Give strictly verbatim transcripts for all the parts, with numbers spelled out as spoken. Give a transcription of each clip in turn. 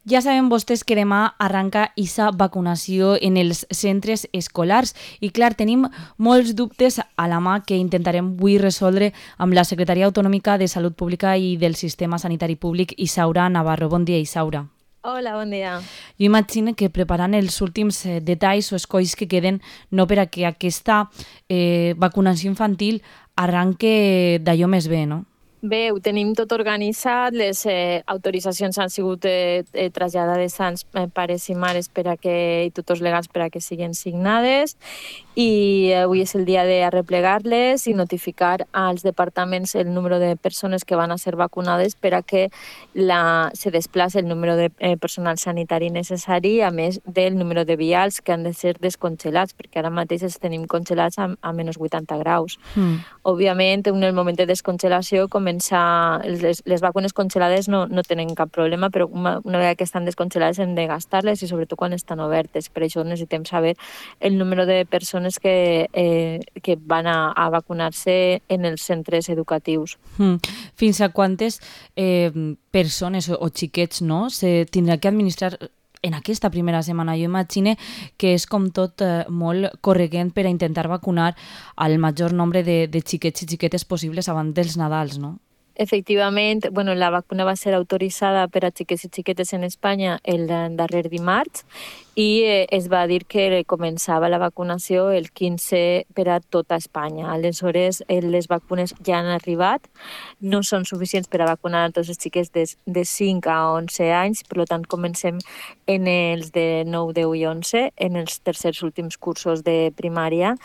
Ja saben vostès que demà arranca aquesta vacunació en els centres escolars i, clar, tenim molts dubtes a la mà que intentarem avui resoldre amb la secretària autonòmica de Salut Pública i del Sistema Sanitari Públic, Isaura Navarro. Bon dia, Isaura. Hola, bon dia. Jo imagino que preparant els últims eh, detalls o escolls que queden no per a que aquesta eh, vacunació infantil arranque d'allò més bé, no? Bé, ho tenim tot organitzat, les eh, autoritzacions han sigut eh, eh, traslladades als eh, pares i mares per a que, i tutors legals per a que siguin signades, i avui és el dia d'arreplegar-les i notificar als departaments el número de persones que van a ser vacunades per a que la, se desplaci el número de eh, personal sanitari necessari, a més del número de vials que han de ser descongelats, perquè ara mateix els tenim congelats a, a menys vuitanta graus. Mm. Òbviament, en el moment de descongelació, començar, les, les vacunes congelades no, no tenen cap problema, però una, una vegada que estan descongelades hem de gastar-les i sobretot quan estan obertes. Per això necessitem saber el número de persones que, eh, que van a, a vacunar-se en els centres educatius. Mm. Fins a quantes eh, persones o, o xiquets no, se tindrà que administrar en aquesta primera setmana? Jo imagino que és com tot eh, molt corregent per a intentar vacunar al major nombre de, de xiquets i xiquetes possibles abans dels Nadals, no? Efectivament, bueno, la vacuna va ser autoritzada per a xiquets i xiquetes en Espanya el darrer dimarts i eh, es va dir que començava la vacunació el quinze per a tota Espanya. Aleshores, eh, les vacunes ja han arribat, no són suficients per a vacunar a tots els xiquets de, de cinc a onze anys, per tant comencem en els de nou, deu i onze, en els tercers últims cursos de primària,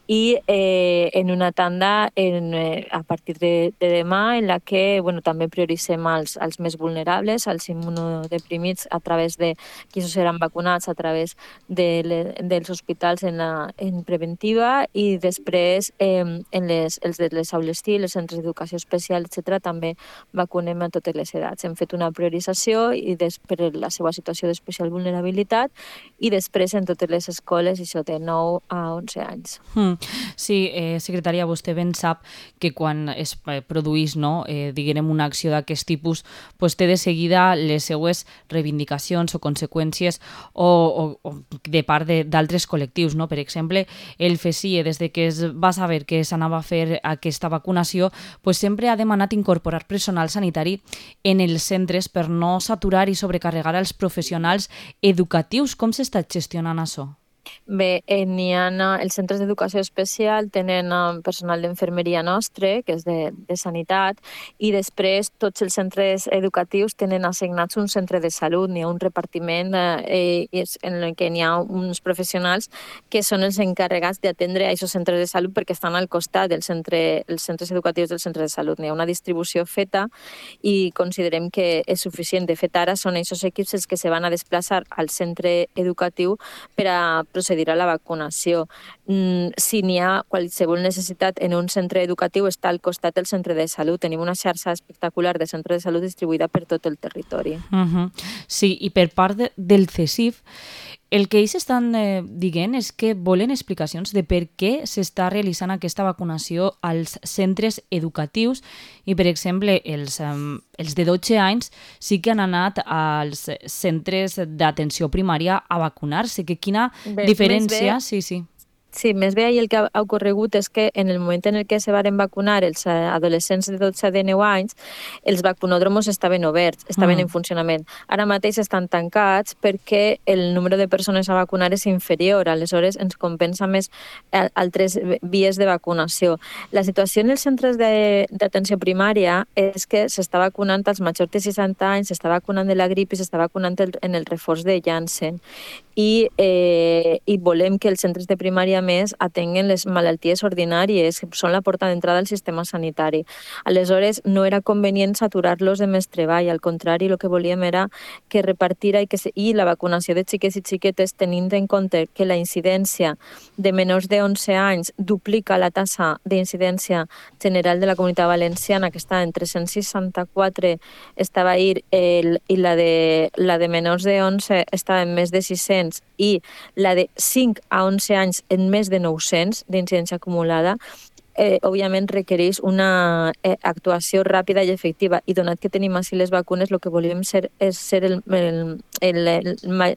i eh, en una tanda en, eh, a partir de, de demà en la que bueno, també prioritzem els, els més vulnerables, els immunodeprimits a través de qui seran vacunats a través de le, dels hospitals en, la, en preventiva, i després eh, en les, els de les aules T I, els centres d'educació especial, etcètera, també vacunem a totes les edats. Hem fet una priorització i des, per la seva situació d'especial vulnerabilitat, i després en totes les escoles, això de nou a onze anys. Mm. Sí, eh, secretària, vostè ben sap que quan es produís, no, eh, diguem, una acció d'aquest tipus, pues té de seguida les seues reivindicacions o conseqüències o, o, o de part d'altres col·lectius, no? Per exemple, el FESIE, des de que es va saber que s'anava a fer aquesta vacunació, pues sempre ha demanat incorporar personal sanitari en els centres per no saturar i sobrecarregar els professionals educatius. Com s'està gestionant això? Bé, eh, n'hi ha, els centres d'educació especial tenen uh, personal d'infermeria nostre, que és de, de sanitat, i després tots els centres educatius tenen assignats un centre de salut, n'hi ha un repartiment eh, en el que n'hi ha uns professionals que són els encarregats d'atendre a aquests centres de salut perquè estan al costat dels centre, els centres educatius del centre de salut. N'hi ha una distribució feta i considerem que és suficient. De fet, ara són aquests equips els que se van a desplaçar al centre educatiu per a procedir a la vacunació. Mm, si n'hi ha qualsevol necessitat en un centre educatiu, està al costat del centre de salut. Tenim una xarxa espectacular de centres de salut distribuïda per tot el territori. Uh-huh. Sí, i per part de, del CESIF, el que ells estan eh, dient és que volen explicacions de per què s'està realitzant aquesta vacunació als centres educatius i, per exemple, els, eh, els de dotze anys sí que han anat als centres d'atenció primària a vacunar-se. Que quina bé, diferència... Sí, sí. Sí, més bé el que ha ocorregut és que en el moment en el que se varen vacunar els adolescents de dotze a dinou anys, els vacunòdromos estaven oberts, estaven mm. en funcionament. Ara mateix estan tancats perquè el número de persones a vacunar és inferior, aleshores ens compensa més altres vies de vacunació. La situació en els centres d'atenció primària és que s'està vacunant als majors de seixanta anys, s'està vacunant de la grip i s'està vacunant en el reforç de Janssen. I, eh, i volem que els centres de primària més atenguen les malalties ordinàries, que són la porta d'entrada al sistema sanitari. Aleshores, no era convenient saturar-los de més treball, al contrari, el que volíem era que repartira i, que se, i la vacunació de xiquets i xiquetes, tenint en compte que la incidència de menors de onze anys duplica la tassa d'incidència general de la Comunitat Valenciana, que està en tres-cents seixanta-quatre, estava ahir, el, i la de, la de menors de onze estava en més de sis-cents, i la de cinc a onze anys en més de nou-cents d'incidència acumulada, eh, òbviament requereix una eh, actuació ràpida i efectiva. I donat que tenim així les vacunes, el que volíem ser, és ser el, el, el, el,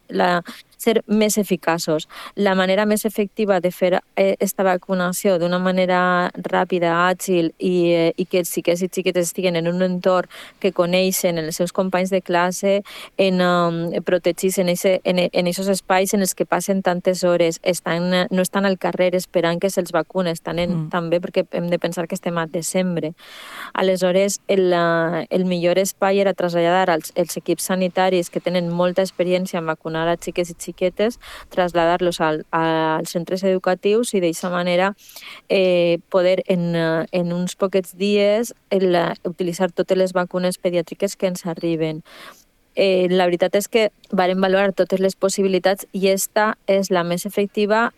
la, ser més eficaços. La manera més efectiva de fer aquesta vacunació d'una manera ràpida, àgil i, eh, i que els xiquets i xiquetes estiguen en un entorn que coneixen, en els seus companys de classe, en um, protegits en aquests en, en espais en els que passen tantes hores, estan, no estan al carrer esperant que se'ls vacunen, estan en, mm. també perquè hem de pensar que estem a desembre. Aleshores, el, el millor espai era traslladar als, els equips sanitaris que tenen molta experiència en vacunar a xiquets i xiquetes, traslladar-los al, als centres educatius i d'aquesta manera eh, poder en, en uns poquets dies el, utilitzar totes les vacunes pediàtriques que ens arriben. Eh, la veritat és que vàrem valorar totes les possibilitats i esta és la més efectiva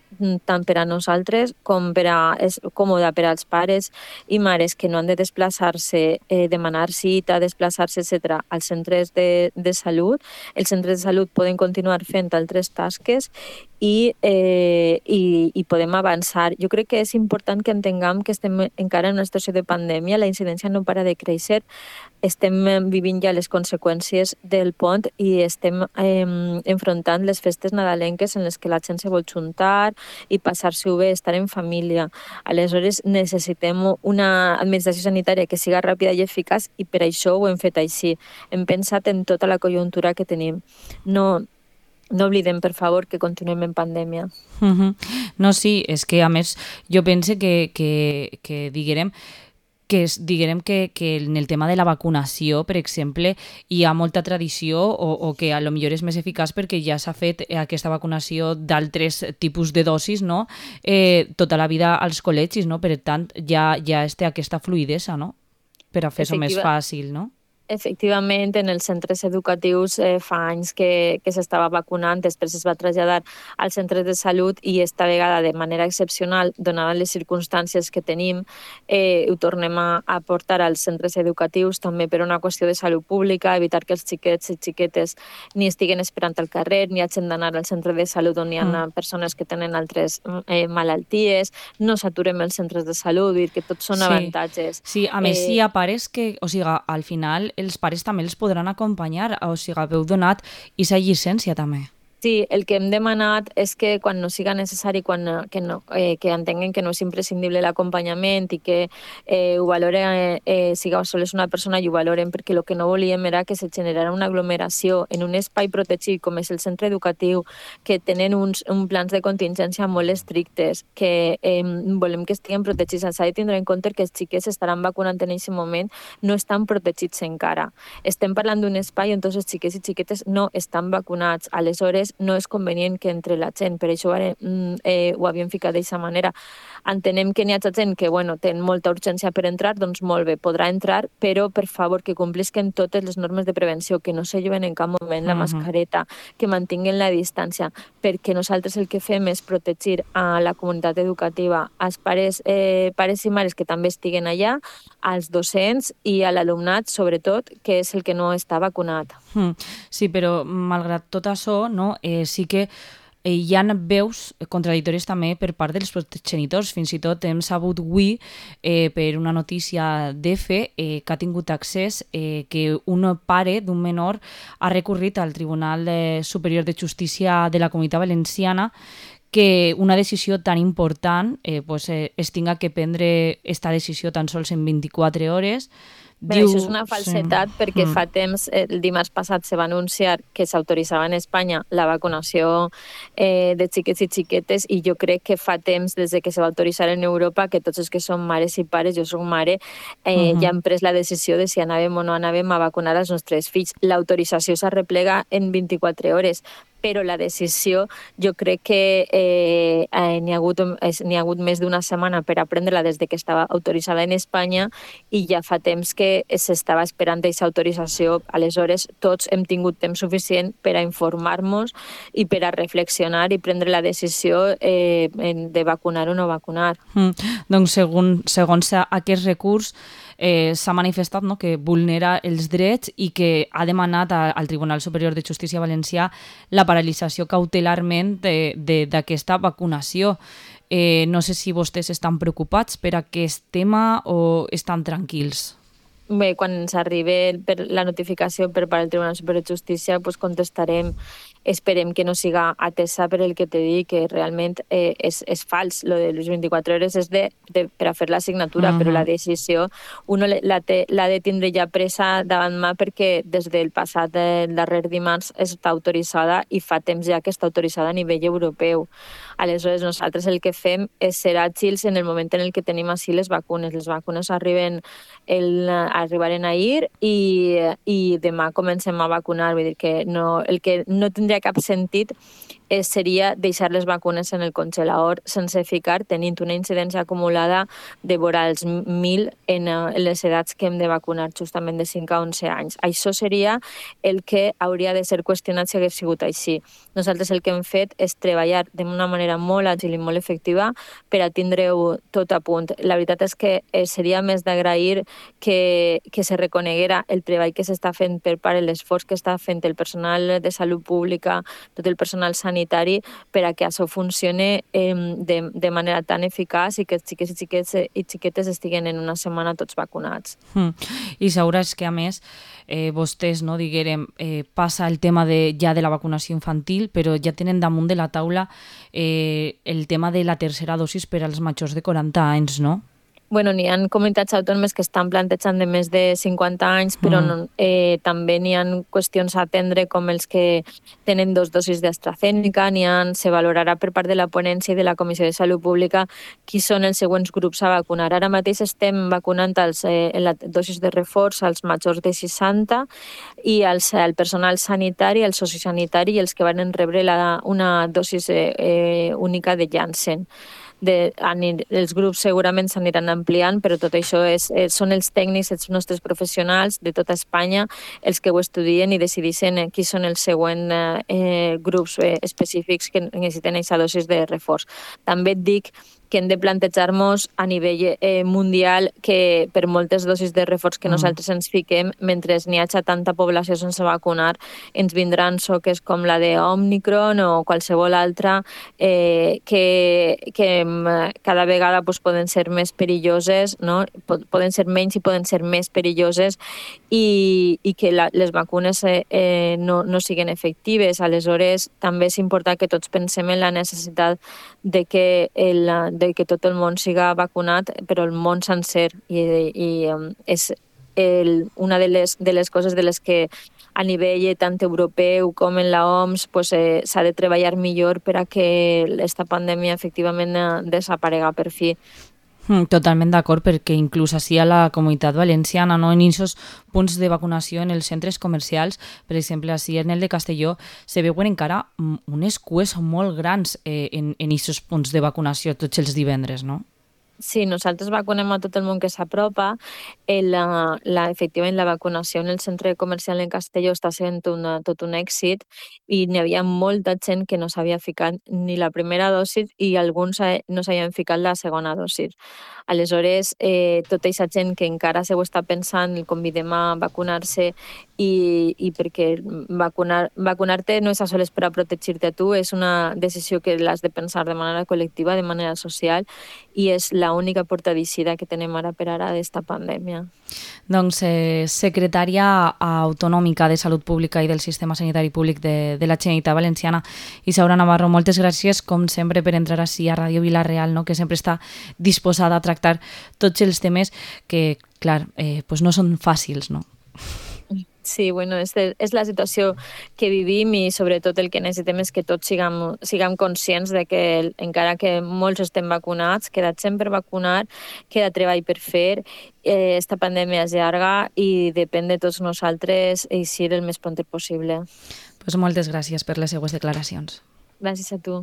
tant per a nosaltres com per a, és còmoda per als pares i mares que no han de desplaçar-se, eh, demanar cita, desplaçar-se, etcètera, als centres de, de salut. Els centres de salut poden continuar fent altres tasques i, eh, i, i podem avançar. Jo crec que és important que entenguem que estem encara en una situació de pandèmia, la incidència no para de créixer, estem vivint ja les conseqüències del pont i estem eh, enfrontant les festes nadalenques en les que la gent se vol juntar i passar-s'ho bé, estar en família. Aleshores necessitem una administració sanitària que siga ràpida i eficaç i per això ho hem fet així. Hem pensat en tota la conjuntura que tenim. No, no oblidem, per favor, que continuem en pandèmia. Uh-huh. No, sí, és que a més jo pense que, que, que diguem que és, diguem que, que en el tema de la vacunació, per exemple, hi ha molta tradició o, o que a lo millor és més eficaç perquè ja s'ha fet aquesta vacunació d'altres tipus de dosis, no? Eh, tota la vida als col·legis, no? Per tant, ja, ja es té aquesta fluïdesa, no? Per a fer-ho més fàcil, no? Efectivament, en els centres educatius eh, fa anys que, que s'estava vacunant, després es va traslladar als centres de salut i esta vegada de manera excepcional, donades les circumstàncies que tenim, eh, ho tornem a, a portar als centres educatius també per una qüestió de salut pública, evitar que els xiquets i xiquetes ni estiguen esperant al carrer, ni hagin d'anar al centre de salut on hi ha mm. persones que tenen altres eh, malalties, no saturem els centres de salut, dir que tots són sí. avantatges. Sí, a més, eh, hi ha pares que, o sigui, al final els pares també els podran acompanyar, o sigui, heu donat aquesta llicència també. Sí, el que hem demanat és que quan no siga necessari, quan, que, no, eh, que entenguen que no és imprescindible l'acompanyament i que eh, ho valoren, eh, siga sols una persona i ho valoren, perquè el que no volíem era que se generara una aglomeració en un espai protegit com és el centre educatiu, que tenen uns, uns plans de contingència molt estrictes, que eh, volem que estiguen protegits. S'ha de tindre en compte que els xiquets estaran vacunant en aquest moment, no estan protegits encara. Estem parlant d'un espai on tots els xiquets i xiquetes no estan vacunats. Aleshores, no és convenient que entre la gent, per això ara, eh, ho havíem ficat d'aquesta manera. Entenem que n'hi ha gent que bueno, té molta urgència per entrar, doncs molt bé, podrà entrar, però per favor que complisquen totes les normes de prevenció, que no se lleven en cap moment la uh-huh. mascareta, que mantinguen la distància, perquè nosaltres el que fem és protegir a la comunitat educativa, als pares, eh, pares i mares que també estiguen allà, als docents i a l'alumnat, sobretot, que és el que no està vacunat. Sí, però malgrat tot això, no, eh, sí que eh, hi ha veus contradictòries també per part dels progenitors. Fins i tot hem sabut avui, eh, per una notícia d'EFE, eh, que ha tingut accés eh, que un pare d'un menor ha recorrit al Tribunal eh, Superior de Justícia de la Comunitat Valenciana que una decisió tan important eh, pues, eh, es tinga que prendre esta decisió tan sols en vint-i-quatre hores. Bé, Diu... Això és una falsetat sí. perquè mm. fa temps, el dimarts passat se va anunciar que s'autoritzava en Espanya la vacunació eh, de xiquets i xiquetes i jo crec que fa temps des de que se va autoritzar en Europa que tots els que són mares i pares, jo soc mare, eh, mm-hmm. ja hem pres la decisió de si anàvem o no anàvem a vacunar els nostres fills. L'autorització s'arreplega en vint-i-quatre hores, però la decisió jo crec que eh, eh, n'hi ha hagut, n'hi ha hagut més d'una setmana per aprendre-la des de que estava autoritzada en Espanya i ja fa temps que s'estava esperant aquesta autorització. Aleshores, tots hem tingut temps suficient per a informar-nos i per a reflexionar i prendre la decisió eh, de vacunar o no vacunar. Mm. Doncs segons, segons aquest recurs eh, s'ha manifestat no, que vulnera els drets i que ha demanat a, al Tribunal Superior de Justícia Valencià la paralització cautelarment d'aquesta vacunació. Eh, no sé si vostès estan preocupats per aquest tema o estan tranquils. Bé, quan ens arribi per la notificació per part del Tribunal Superior de Justícia, pues contestarem. Esperem que no siga atesa per el que te dic, que realment eh, és, és fals. Lo de les vint-i-quatre hores és de, de, per a fer la signatura, Uh però la -huh. decisió uno l'ha de tindre ja presa davant mà perquè des del passat del darrer dimarts està autoritzada i fa temps ja que està autoritzada a nivell europeu. Aleshores, nosaltres el que fem és ser àgils en el moment en el que tenim així les vacunes. Les vacunes arriben el, arribaren ahir i, i demà comencem a vacunar. Vull dir que no, el que no tindria cap sentit eh, seria deixar les vacunes en el congelador sense ficar, tenint una incidència acumulada de vora els mil en, en les edats que hem de vacunar, justament de cinc a onze anys. Això seria el que hauria de ser qüestionat si hagués sigut així. Nosaltres el que hem fet és treballar d'una manera molt àgil i molt efectiva per a tindre-ho tot a punt. La veritat és que eh, seria més d'agrair que, que se reconeguera el treball que s'està fent per part, l'esforç que està fent el personal de salut pública, tot el personal sanitari, per a que això funcione eh, de, de manera tan eficaç i que els xiquets i, xiquets i xiquetes estiguen en una setmana tots vacunats. Mm. I sabràs que, a més, eh, vostès, no, diguérem, eh, passa el tema de, ja de la vacunació infantil, però ja tenen damunt de la taula eh, el tema de la tercera dosis per als majors de quaranta anys, no? Bueno, n'hi ha comunitats autònomes que estan plantejant de més de cinquanta anys, però Mm. no, eh, també n'hi ha qüestions a atendre com els que tenen dos dosis d'AstraZeneca, n'hi ha, se valorarà per part de la ponència i de la Comissió de Salut Pública qui són els següents grups a vacunar. Ara mateix estem vacunant els, eh, en la dosis de reforç als majors de seixanta i als, el personal sanitari, el sociosanitari i els que van rebre la, una dosis eh, eh, única de Janssen. De, els grups segurament s'aniran ampliant, però tot això és, eh, són els tècnics, els nostres professionals de tota Espanya, els que ho estudien i decideixen qui són els següents eh, grups eh, específics que necessiten aquesta dosis de reforç. També et dic que hem de plantejar-nos a nivell eh, mundial que per moltes dosis de reforç que nosaltres ens fiquem, mentre n'hi hagi tanta població sense vacunar, ens vindran soques com la de Omicron o qualsevol altra eh, que, que cada vegada pues, poden ser més perilloses, no? Poden ser menys i poden ser més perilloses i, i que la, les vacunes eh, eh, no, no siguin efectives. Aleshores, també és important que tots pensem en la necessitat de que, el, de que tot el món siga vacunat, però el món sencer. I, i um, és el, una de les, de les coses de les que a nivell tant europeu com en la O M S pues, eh, s'ha de treballar millor per a que aquesta pandèmia efectivament desaparega per fi. Totalment d'acord, perquè inclús així a la Comunitat Valenciana, no, en aquests punts de vacunació en els centres comercials, per exemple, així en el de Castelló, se veuen encara unes cues molt grans eh, en aquests punts de vacunació tots els divendres, no? Sí, nosaltres vacunem a tot el món que s'apropa. La, la, efectivament, la vacunació en el centre comercial en Castelló està sent una, tot un èxit i n'hi havia molta gent que no s'havia ficat ni la primera dosi i alguns no s'havien ficat la segona dosi. Aleshores, eh, tota aquesta gent que encara se ho està pensant, el convidem a vacunar-se i, i perquè vacunar, vacunar-te no és a soles per a protegir-te a tu, és una decisió que l'has de pensar de manera col·lectiva, de manera social, i és l'única porta d'eixida que tenem ara per ara d'esta pandèmia. Doncs, eh, secretària autonòmica de Salut Pública i del Sistema Sanitari Públic de, de la Generalitat Valenciana, Isaura Navarro, moltes gràcies, com sempre, per entrar així a Ràdio Vila-real, no? Que sempre està disposada a tractar tots els temes que, clar, eh, pues no són fàcils, no? Sí, bueno, és, de, és la situació que vivim i sobretot el que necessitem és que tots siguem, siguem conscients de que el, encara que molts estem vacunats, queda gent per vacunar, queda treball per fer, eh, esta pandèmia és llarga i depèn de tots nosaltres eixir el més pront possible. Pues moltes gràcies per les seues declaracions. Gràcies a tu.